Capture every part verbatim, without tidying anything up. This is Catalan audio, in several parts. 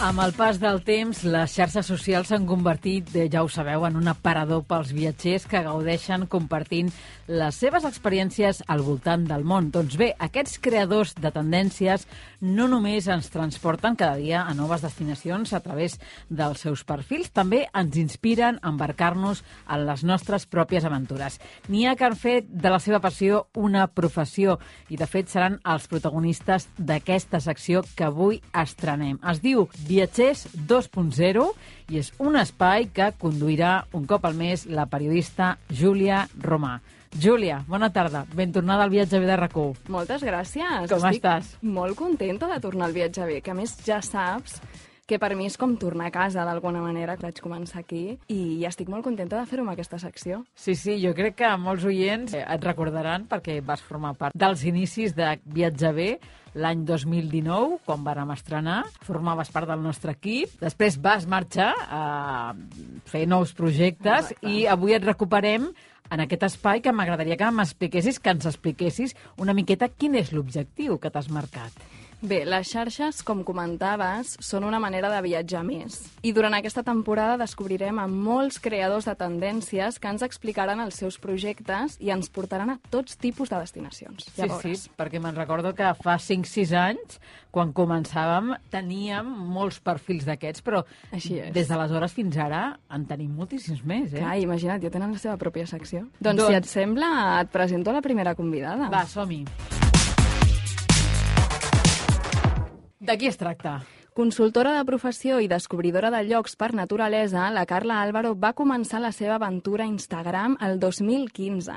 Amb el pas del temps, les xarxes socials s'han convertit, ja ho sabeu, en un aparador pels viatgers que gaudeixen compartint les seves experiències al voltant del món. Doncs bé, aquests creadors de tendències no només ens transporten cada dia a noves destinacions a través dels seus perfils, també ens inspiren a embarcar-nos en les nostres pròpies aventures. N'hi ha que han fet de la seva passió una professió i, de fet, seran els protagonistes d'aquesta secció que avui estrenem. Es diu Viatgers dos punt zero i és un espai que conduirà un cop al mes la periodista Júlia Romà. Júlia, bona tarda. Ben tornada al Viatge B de RAC u. Moltes gràcies. Com Estic estàs? molt contenta de tornar al Viatge B, que a més ja saps que per mi és com tornar a casa d'alguna manera, que vaig començar aquí, i estic molt contenta de fer-ho amb aquesta secció. Sí, sí, jo crec que molts oients et recordaran perquè vas formar part dels inicis de Viatge B l'any dos mil dinou, quan vàrem estrenar. Formaves part del nostre equip. Després vas marxar a fer nous projectes. Exacte. I avui et recuperem en aquest espai que m'agradaria que m'expliquessis, que ens expliquessis una miqueta quin és l'objectiu que t'has marcat. Bé, les xarxes, com comentaves, són una manera de viatjar més. I durant aquesta temporada descobrirem a molts creadors de tendències que ens explicaran els seus projectes i ens portaran a tots tipus de destinacions. Sí, sí, perquè me'n recordo que fa cinc sis anys, quan començàvem, teníem molts perfils d'aquests, però Així és. Des d'aleshores fins ara en tenim moltíssims més, eh? Clar, imagina't, ja tenen la seva pròpia secció. Doncs, Doncs- si et sembla, et presento la primera convidada. Va, som-hi. De qui es tracta? Consultora de professió i descobridora de llocs per naturalesa, la Carla Álvaro va començar la seva aventura a Instagram el dos mil quinze,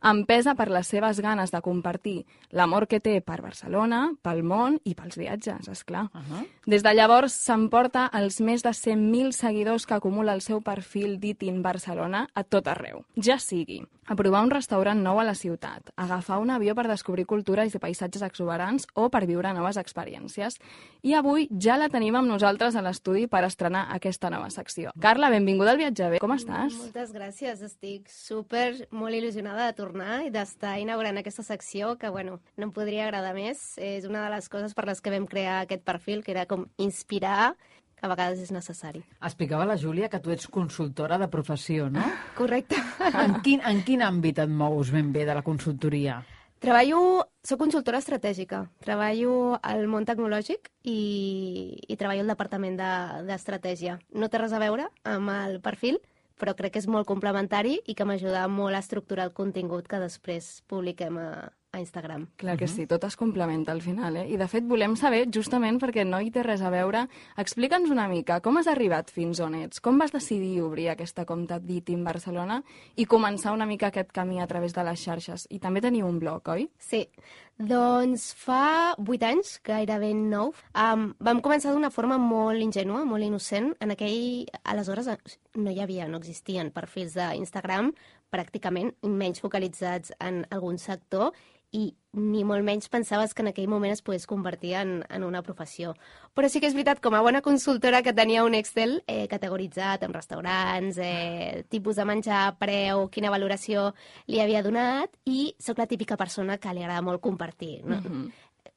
empesa per les seves ganes de compartir l'amor que té per Barcelona, pel món i pels viatges, esclar. Uh -huh. Des de llavors s'emporta els més de cent mil seguidors que acumula el seu perfil d'Itin Barcelona a tot arreu. Ja sigui a provar un restaurant nou a la ciutat, agafar un avió per descobrir cultures i paisatges exuberants o per viure noves experiències. I avui ja la tenim amb nosaltres a l'estudi per estrenar aquesta nova secció. Carla, benvinguda al Viatge B. Com estàs? Moltes gràcies. Estic super, molt il·lusionada de tornar i d'estar inaugurant aquesta secció que, bueno, no em podria agradar més. És una de les coses per les que vam crear aquest perfil, que era com inspirar, que a vegades és necessari. Explicava la Júlia que tu ets consultora de professió, no? Correcte. En quin, en quin àmbit et mous ben bé de la consultoria? Treballo, soc consultora estratègica. Treballo al món tecnològic i, i treballo al departament de- d'estratègia. No té res a veure amb el perfil, però crec que és molt complementari i que m'ajuda molt a estructurar el contingut que després publiquem a, a Instagram. Clar que sí, tot es complementa al final, eh? I de fet volem saber, justament perquè no hi té res a veure, explica'ns una mica com has arribat fins on ets, com vas decidir obrir aquesta compte d'Itin Barcelona i començar una mica aquest camí a través de les xarxes. I també teniu un blog, oi? Sí, doncs fa vuit anys, gairebé nou, um, vam començar d'una forma molt ingènua, molt innocent. En aquell, aleshores no hi havia, no existien perfils d'Instagram, pràcticament, menys focalitzats en algun sector, i ni molt menys pensaves que en aquell moment es pogués convertir en, en una professió. Però sí que és veritat, com a bona consultora, que tenia un Excel eh, categoritzat en restaurants, eh, tipus de menjar, preu, quina valoració li havia donat, i sóc la típica persona que li agrada molt compartir, no? Mhm.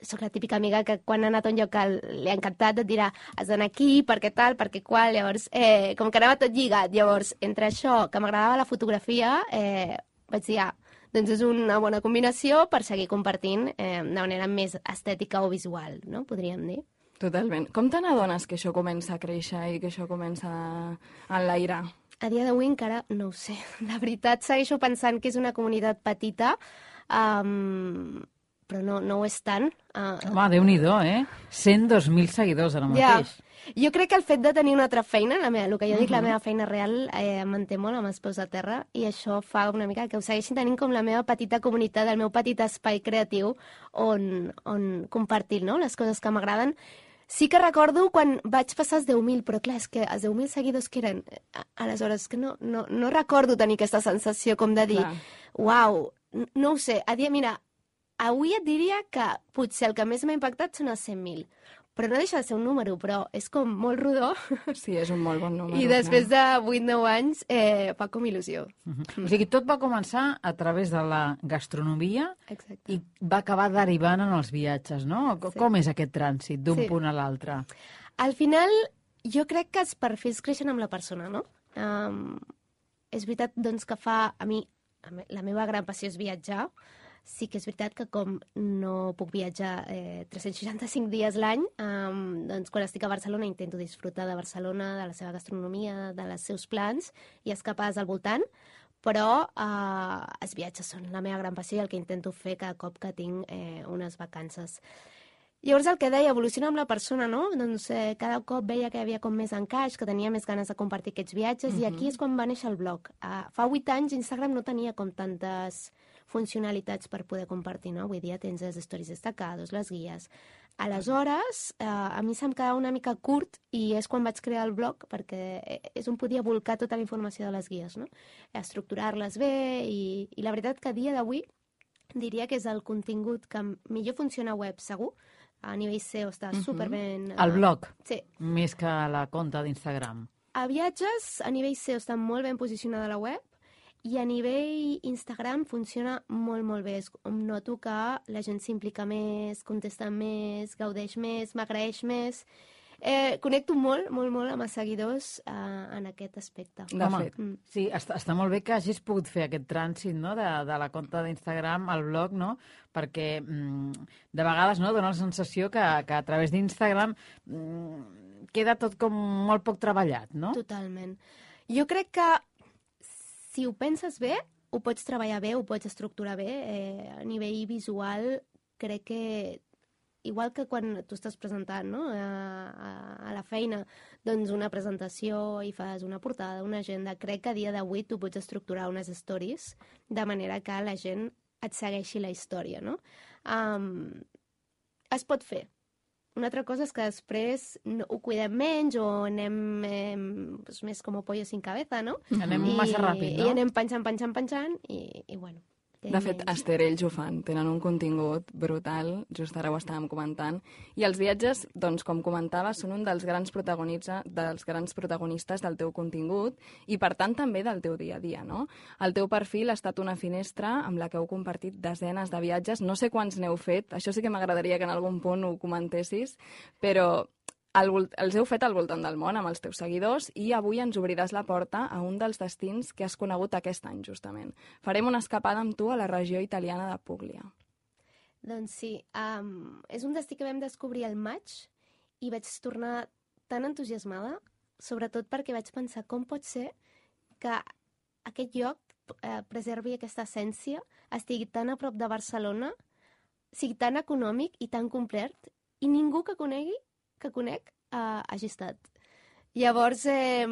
Soc la típica amiga que quan ha anat a un lloc que li ha encantat et dirà has d'anar aquí, perquè tal, perquè qual, llavors, eh, com que anava tot lligat, llavors, entre això, que m'agradava la fotografia, eh, vaig dir, ah, doncs és una bona combinació per seguir compartint eh, de manera més estètica o visual, no? Podríem dir. Totalment. Com te n'adones que això comença a créixer i que això comença a enlairar? A dia d'avui encara no ho sé. La veritat, segueixo pensant que és una comunitat petita, um, però no, no ho és tant. Uh, Home, Déu-n'hi-do, eh? cent dos mil seguidors ara Ja. mateix. Jo crec que el fet de tenir una altra feina, la meva, el que jo dic, Mhm. la meva feina real, eh, em manté molt amb els peus a terra, i això fa una mica que ho segueixin tenint com la meva petita comunitat, el meu petit espai creatiu on, on compartir, no?, les coses que m'agraden. Sí que recordo quan vaig passar els deu mil, però clar, és que els deu mil seguidors que eren, a- aleshores, que no, no, no recordo tenir aquesta sensació com de dir, Clar. uau, n- no ho sé, a dia, mira, avui et diria que potser el que més m'ha impactat són els cent mil, però no deixa de ser un número, però és com molt rodó, Sí, és un molt bon número. i després de vuit nou anys eh, fa com il·lusió. O sigui, tot va començar a través de la gastronomia Exacte. i va acabar derivant en els viatges, no? Sí. Com és aquest trànsit d'un Sí. punt a l'altre? Al final, jo crec que els perfils creixen amb la persona, no? Um, és veritat, doncs, que fa... A mi, la meva gran passió és viatjar. Sí que és veritat que com no puc viatjar eh, tres-cents seixanta-cinc dies l'any, um, doncs quan estic a Barcelona intento disfrutar de Barcelona, de la seva gastronomia, de els seus plans i escapades al voltant, però eh, els viatges són la meva gran passió i el que intento fer cada cop que tinc eh, unes vacances. Llavors el que deia, evoluciona amb la persona, no? Doncs eh, cada cop veia que hi havia com més encaix, que tenia més ganes de compartir aquests viatges, uh-huh. i aquí és quan va néixer el blog. Uh, fa vuit anys Instagram no tenia com tantes funcionalitats per poder compartir, no? Avui dia tens les stories destacados, les guies. Aleshores, eh, a mi se'm quedava una mica curt i és quan vaig crear el blog, perquè és on podia volcar tota la informació de les guies, no? Estructurar-les bé i, i la veritat que a dia d'avui diria que és el contingut que millor funciona a web, segur. A nivell S E O està uh-huh. superben... El blog? Sí. Més que la compta d'Instagram. A viatges, a nivell S E O està molt ben posicionada a la web i a nivell Instagram funciona molt, molt bé. Em noto que la gent s'implica més, contesta més, gaudeix més, m'agraeix més... Eh, connecto molt, molt, molt amb els seguidors eh, en aquest aspecte. De Home, fet. Mm. Sí, està, està molt bé que hagis pogut fer aquest trànsit, no?, de, de la compta d'Instagram al blog, no?, perquè mm, de vegades no, dona la sensació que, que a través d'Instagram mm, queda tot com molt poc treballat, no? Totalment. Jo crec que si ho penses bé, ho pots treballar bé, ho pots estructurar bé. Eh, a nivell visual crec que igual que quan tu estàs presentant, no?, a, a, a la feina, doncs una presentació i fas una portada, una agenda, crec que a dia d'avui tu pots estructurar unes stories de manera que la gent et segueixi la història, no? Um, es pot fer. Una altra cosa és que després no, ho cuidem menys o anem eh, pues, més com a pollo sin cabeza, no? Anem I, massa ràpid, no? I anem penjant, penjant, penjant i, i bueno... De fet, Esther, ells ho fan. Tenen un contingut brutal, just ara ho estàvem comentant. I els viatges, doncs, com comentava, són un dels grans, dels grans protagonistes del teu contingut i, per tant, també del teu dia a dia, no? El teu perfil ha estat una finestra amb la que heu compartit desenes de viatges. No sé quants n'heu fet, això sí que m'agradaria que en algun punt ho comentessis, però... El, els heu fet al voltant del món amb els teus seguidors i avui ens obriràs la porta a un dels destins que has conegut aquest any, justament. Farem una escapada amb tu a la regió italiana de Puglia. Doncs sí, um, és un destí que vam descobrir al maig i vaig tornar tan entusiasmada, sobretot perquè vaig pensar com pot ser que aquest lloc eh, preservi aquesta essència, estigui tan a prop de Barcelona, sigui tan econòmic i tan complet, i ningú que conegui que conec, uh, hagi estat. Llavors, eh,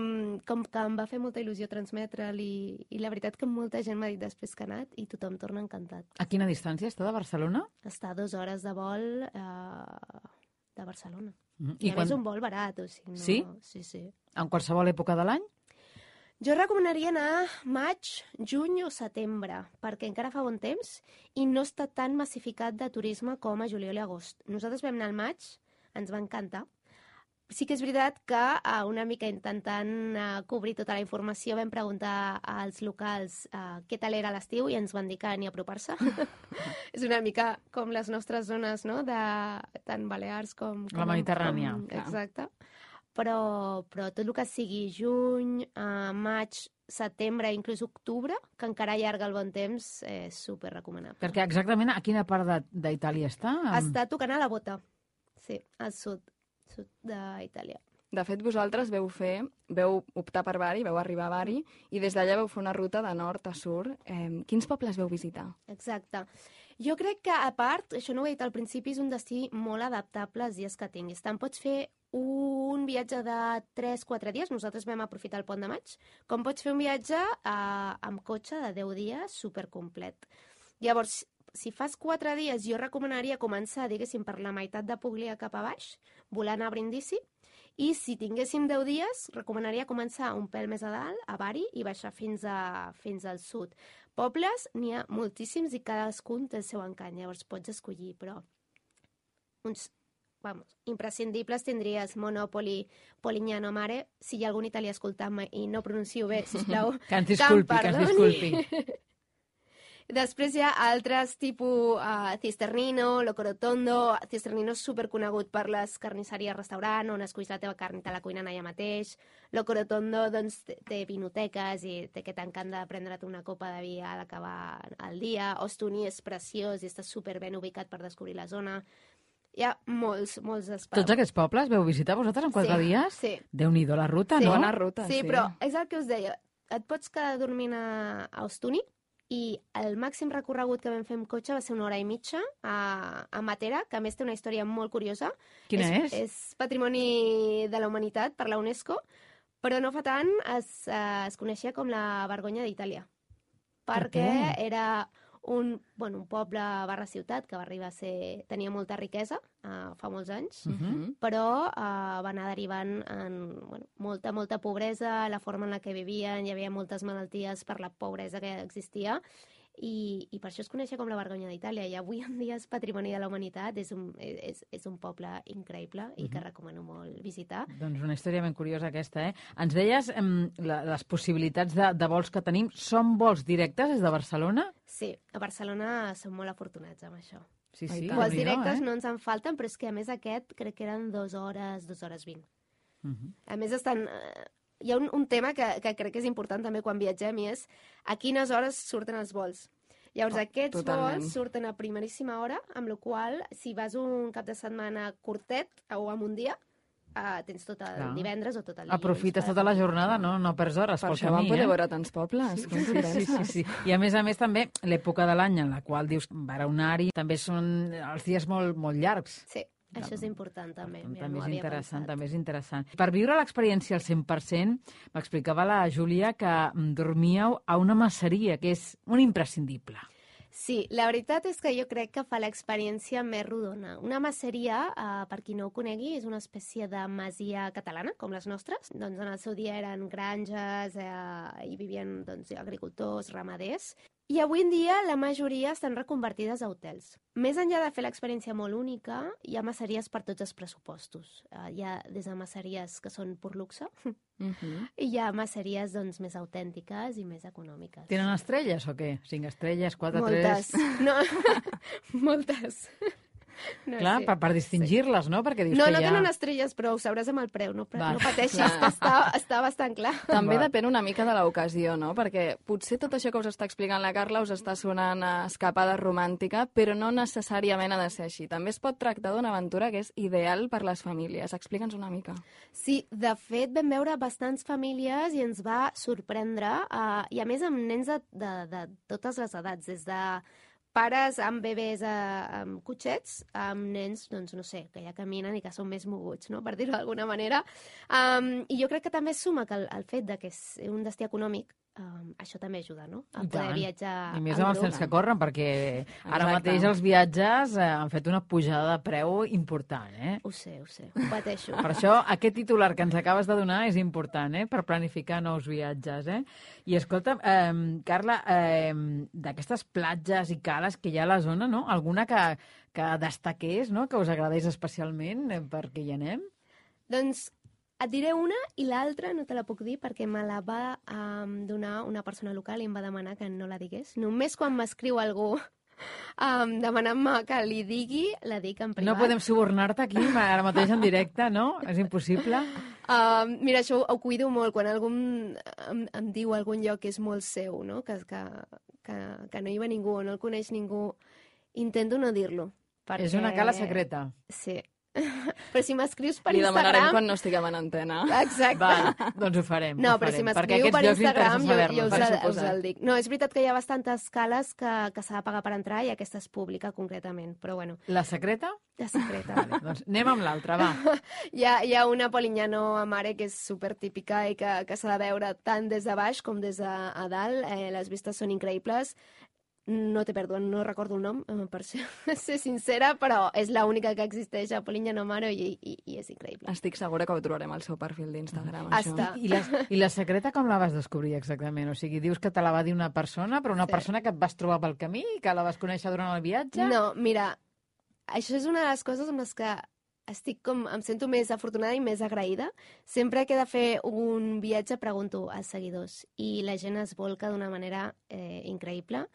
com que em va fer molta il·lusió transmetre'l i, i la veritat que molta gent m'ha dit després que ha anat i tothom torna encantat. A quina distància està de Barcelona? Està a dues hores de vol eh, de Barcelona. Mm. I, I a quan... més un vol barat. O sigui, no... Sí? Sí, sí. En qualsevol època de l'any? Jo recomanaria anar maig, juny o setembre, perquè encara fa bon temps i no està tan massificat de turisme com a juliol i agost. Nosaltres vam anar al maig, ens va encantar. Sí que és veritat que uh, una mica intentant uh, cobrir tota la informació vam preguntar als locals uh, què tal era l'estiu i ens van dir que ni apropar-se. És una mica com les nostres zones, no?, de tant Balears com... com la Mediterrània. Com, exacte. Però, però tot el que sigui juny, uh, maig, setembre, inclús octubre, que encara allarga el bon temps, és super recomanable. Perquè exactament a quina part d'Itàlia està? Està tocant a la Bota. Sí, al sud, sud d'Itàlia. De fet, vosaltres veu fer, veu optar per Bari, veu arribar a Bari, i des d'allà veu fer una ruta de nord a sud. Eh, quins pobles veu visitar? Exacte. Jo crec que, a part, això no ho he dit al principi, és un destí molt adaptable als dies que tinguis. Tant pots fer un viatge de tres quatre dies, nosaltres vam aprofitar el pont de maig, com pots fer un viatge eh, amb cotxe de deu dies supercomplet. Llavors, si fas quatre dies, jo recomanaria començar, diguéssim, per la meitat de Puglia cap a baix, volant a Brindisi, i si tinguéssim deu dies, recomanaria començar un pèl més a dalt, a Bari, i baixar fins, a, fins al sud. Pobles n'hi ha moltíssims i cadascun té el seu encant, llavors pots escollir, però uns, vamos, imprescindibles tindries Monopoli, Polignano Mare, si hi ha algun italià escoltant-me i no pronuncio bé, sisplau, que ens disculpi, que ens disculpi. Després hi ha altres tipus uh, Cisternino, Loco Rotondo. Cisternino és superconegut per les carnisseries restaurant, on esculls la teva carn i te la cuinen allà mateix. Loco Rotondo doncs, té vinoteques i té aquest encant de prendre't una copa de vi a l'acabar el dia. Ostuni és preciós i està superben ubicat per descobrir la zona. Hi ha molts, molts espais. Tots aquests pobles veu visitar vosaltres en quatre sí, dies? Sí. Déu-n'hi-do la ruta, sí. no? Bona ruta, sí. Sí, però és el que us deia. Et pots quedar dormint a, a Ostuni i el màxim recorregut que vam fer amb cotxe va ser una hora i mitja a, a Matera, que a més té una història molt curiosa. Quina és? És, és Patrimoni de la Humanitat per la UNESCO, però no fa tant es, eh, es coneixia com la Vergonya d'Itàlia. Perquè Per era un, bueno, un poble barra ciutat que va arribar a ser... tenia molta riquesa uh, fa molts anys, Uh -huh. però uh, va anar derivant en bueno, molta, molta pobresa, la forma en la que vivien, hi havia moltes malalties per la pobresa que existia, i, i per això es coneixia com la Vergonya d'Itàlia, i avui en dia és Patrimoni de la Humanitat, és un, és, és un poble increïble i que recomano molt visitar. Doncs una història ben curiosa aquesta, eh? Ens deies em, la, les possibilitats de, de vols que tenim. Són vols directes des de Barcelona? Sí, a Barcelona som molt afortunats amb això. Sí, Ai, sí. tant. Vols Déu-n'hi-do, directes eh? no ens en falten, però és que a més aquest crec que eren dues hores, dues hores vint. Uh -huh. A més, estan, eh, hi ha un, un tema que, que crec que és important també quan viatgem, i és a quines hores surten els vols. Llavors, Oh, aquests totalment. vols surten a primeríssima hora, amb la qual cosa, si vas un cap de setmana curtet o en un dia, uh, tens tot el Clar. divendres o tot el dilluns. Aprofites per tota la aprofitar. jornada, no, no perds hores Per pel això vam camí, poder eh? veure tants pobles. Sí, sí, sí, sí. I a més a més també l'època de l'any en la qual dius baraunar-hi també són els dies molt, molt llargs. Sí, això és important també. Tant, Mira, també no ho és havia interessant, pensat. també és interessant. Per viure l'experiència al cent per cent, m'explicava la Júlia que mm, dormíeu a una masseria, que és un imprescindible. Sí, la veritat és que jo crec que fa l'experiència més rodona. Una masseria, eh, per qui no ho conegui, és una espècie de masia catalana, com les nostres. Doncs en el seu dia eren granges, eh, hi vivien doncs, agricultors, ramaders. I avui en dia la majoria estan reconvertides a hotels. Més enllà de fer l'experiència molt única, hi ha masseries per tots els pressupostos. Eh, hi ha des de masseries que són pur luxe, Uh -huh. i hi ha masseries doncs, més autèntiques i més econòmiques. Tenen estrelles o què? Cinc estrelles, quatre, Moltes. tres... No, moltes. No, Clar, sí. per, per distingir-les, no? Perquè dius No, que no hi ha... tenen estrelles, però ho sabràs amb el preu. No, Val. no pateixis, Clar. que està, està bastant clar. També Va. depèn una mica de l'ocasió, no? Perquè potser tot això que us està explicant la Carla us està sonant a escapada romàntica, però no necessàriament ha de ser així. També es pot tractar d'una aventura que és ideal per les famílies. Explica'ns una mica. Sí, de fet, vam veure bastants famílies i ens va sorprendre, uh, i a més amb nens de, de, de totes les edats, des de pares amb bebès a, amb cotxets, amb nens, doncs no sé, que ja caminen i que són més moguts, no?, per dir-ho d'alguna manera. Um, I jo crec que també suma que el, el fet de que és un destí econòmic, um, això també ajuda, no?, a I poder tant. viatjar I més en amb els grup. temps que corren, perquè ara Exacte. mateix els viatges eh, han fet una pujada de preu important, eh? Ho sé, ho sé, ho pateixo. Per això, aquest titular que ens acabes de donar és important, eh?, per planificar nous viatges, eh? I escolta, eh, Carla, eh, d'aquestes platges i cales que hi ha a la zona, no?, alguna que, que destaqués, no?, que us agradés especialment eh, perquè hi anem? Doncs et diré una i l'altra no te la puc dir perquè me la va um, donar una persona local i em va demanar que no la digués. Només quan m'escriu algú um, demanant-me que li digui, la dic en privat. No podem subornar-te aquí ara mateix en directe, no? És impossible. Um, mira, això ho, ho cuido molt. Quan algú em, em, em diu algun lloc que és molt seu, no?, que, que, que, que no hi va ningú o no el coneix ningú, intento no dir-lo. Perquè... És una cala secreta. Sí. Però si m'escrius per Li demanarem Instagram... quan no estiguem en antena. Exacte. Val, doncs ho farem. No, ho però farem, si perquè m'escriu aquests per llocs Instagram, m'interessa jo, jo saber-los. us, per el, suposat. us el dic. No, és veritat que hi ha bastantes cales que, que s'ha de pagar per entrar i aquesta és pública, concretament. Però bueno, La secreta? la secreta. Vale, doncs anem amb l'altra, va. Hi ha, hi ha una Polignano a Mare que és super típica i que, que s'ha de veure tant des de baix com des de a dalt. Eh, les vistes són increïbles. No té pèrdua, no recordo el nom, eh, per ser, ser sincera, però és l'única que existeix a Polignano a Mare i, i, i és increïble. Estic segura que ho trobarem al seu perfil d'Instagram, això. Està. I la, I la secreta com la vas descobrir exactament? O sigui, dius que te la va dir una persona, però una Sí. persona que et vas trobar pel camí, que la vas conèixer durant el viatge? No, mira, això és una de les coses amb les que estic com, em sento més afortunada i més agraïda. Sempre que he de fer un viatge pregunto als seguidors i la gent es volca d'una manera eh, increïble.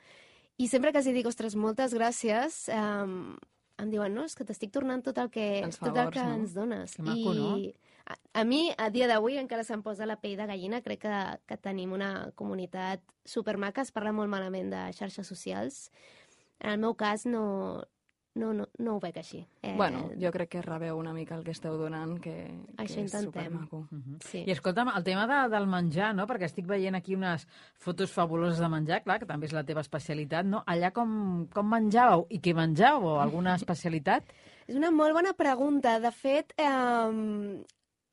I sempre que els dic, ostres, moltes gràcies, um, em diuen, no, és que t'estic tornant tot el que, Els tot el favors, que no? ens dones. Que maco, no? I a, a mi, a dia d'avui, encara se'm posa la pell de gallina. Crec que, que tenim una comunitat supermaca. Es parla molt malament de xarxes socials. En el meu cas, no, no, no, no ho veig així. Eh, Bueno, jo crec que rebeu una mica el que esteu donant, que, Això que és intentem. supermaco. Uh-huh. Sí. I escolta'm, el tema de, del menjar, no? Perquè estic veient aquí unes fotos fabuloses de menjar, clar, que també és la teva especialitat, no? Allà com, com menjàveu i què menjàveu? Alguna especialitat? És una molt bona pregunta. De fet, eh,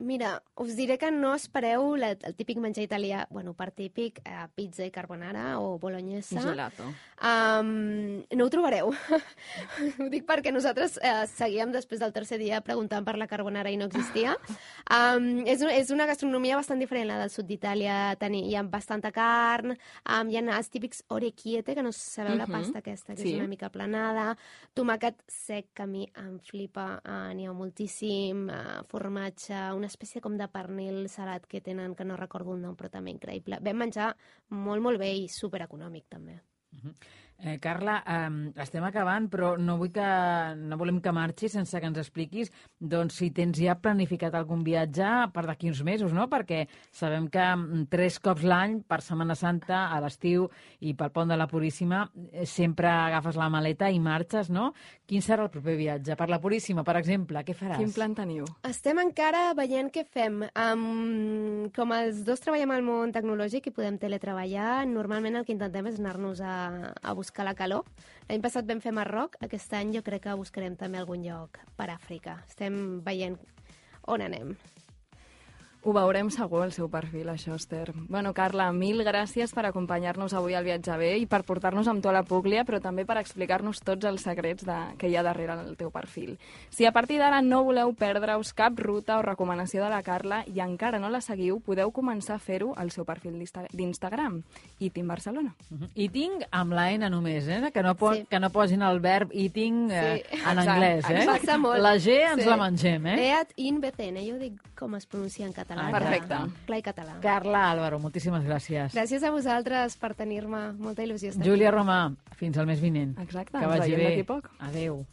mira, us diré que no espereu la, el típic menjar italià, bueno, per típic, eh, pizza i carbonara o bolognesa. Gelato. Um, no ho trobareu. Ho dic perquè nosaltres eh, seguíem després del tercer dia preguntant per la carbonara i no existia. Um, és, és una gastronomia bastant diferent la del sud d'Itàlia. Teni- Hi ha bastanta carn, um, hi ha els típics orecchiette, que no sabeu la Mhm. pasta aquesta, que Sí. és una mica aplanada, tomàquet sec, que a mi em flipa, uh, n'hi ha moltíssim, uh, formatge, una espècie com de pernil salat que tenen, que no recordo el nom, però també increïble. Vam menjar molt, molt bé i supereconòmic, també. Uh-huh. Eh, Carla, eh, estem acabant, però no vull que no volem que marxis sense que ens expliquis doncs, si tens ja planificat algun viatge per d'aquí uns mesos, no? Perquè sabem que mm, tres cops l'any, per Setmana Santa, a l'estiu i pel Pont de la Puríssima, eh, sempre agafes la maleta i marxes, no? Quin serà el proper viatge? Per la Puríssima, per exemple, què faràs? Quin plan teniu? Estem encara veient què fem. Um, com els dos treballem al món tecnològic i podem teletreballar, normalment el que intentem és anar-nos a, a buscar la calor. L'any passat vam fer Marroc, aquest any jo crec que buscarem també algun lloc per Àfrica. Estem veient on anem. Ho veurem segur al seu perfil, això, Esther. Bueno, Carla, mil gràcies per acompanyar-nos avui al Viatge Bé i per portar-nos amb tu a la Púglia, però també per explicar-nos tots els secrets de, que hi ha darrere el teu perfil. Si a partir d'ara no voleu perdre-us cap ruta o recomanació de la Carla i encara no la seguiu, podeu començar a fer-ho al seu perfil d'Insta- d'Instagram, Eating Barcelona. Uh-huh. Eating amb la N només, eh? Que no, po Sí. que no posin el verb eating eh, Sí. en Exacte, anglès, eh? Passa molt. La G ens Sí. la mengem, eh? Eat in B C N, jo dic com es pronuncia en català. Ah, perfecte. Clar i català. Carla Álvaro, moltíssimes gràcies. Gràcies a vosaltres per tenir-me. Molta il·lusió estar Júlia aquí. Romà, fins al mes vinent. Exacte, Que ens vagi veiem bé. d'aquí poc. Adéu.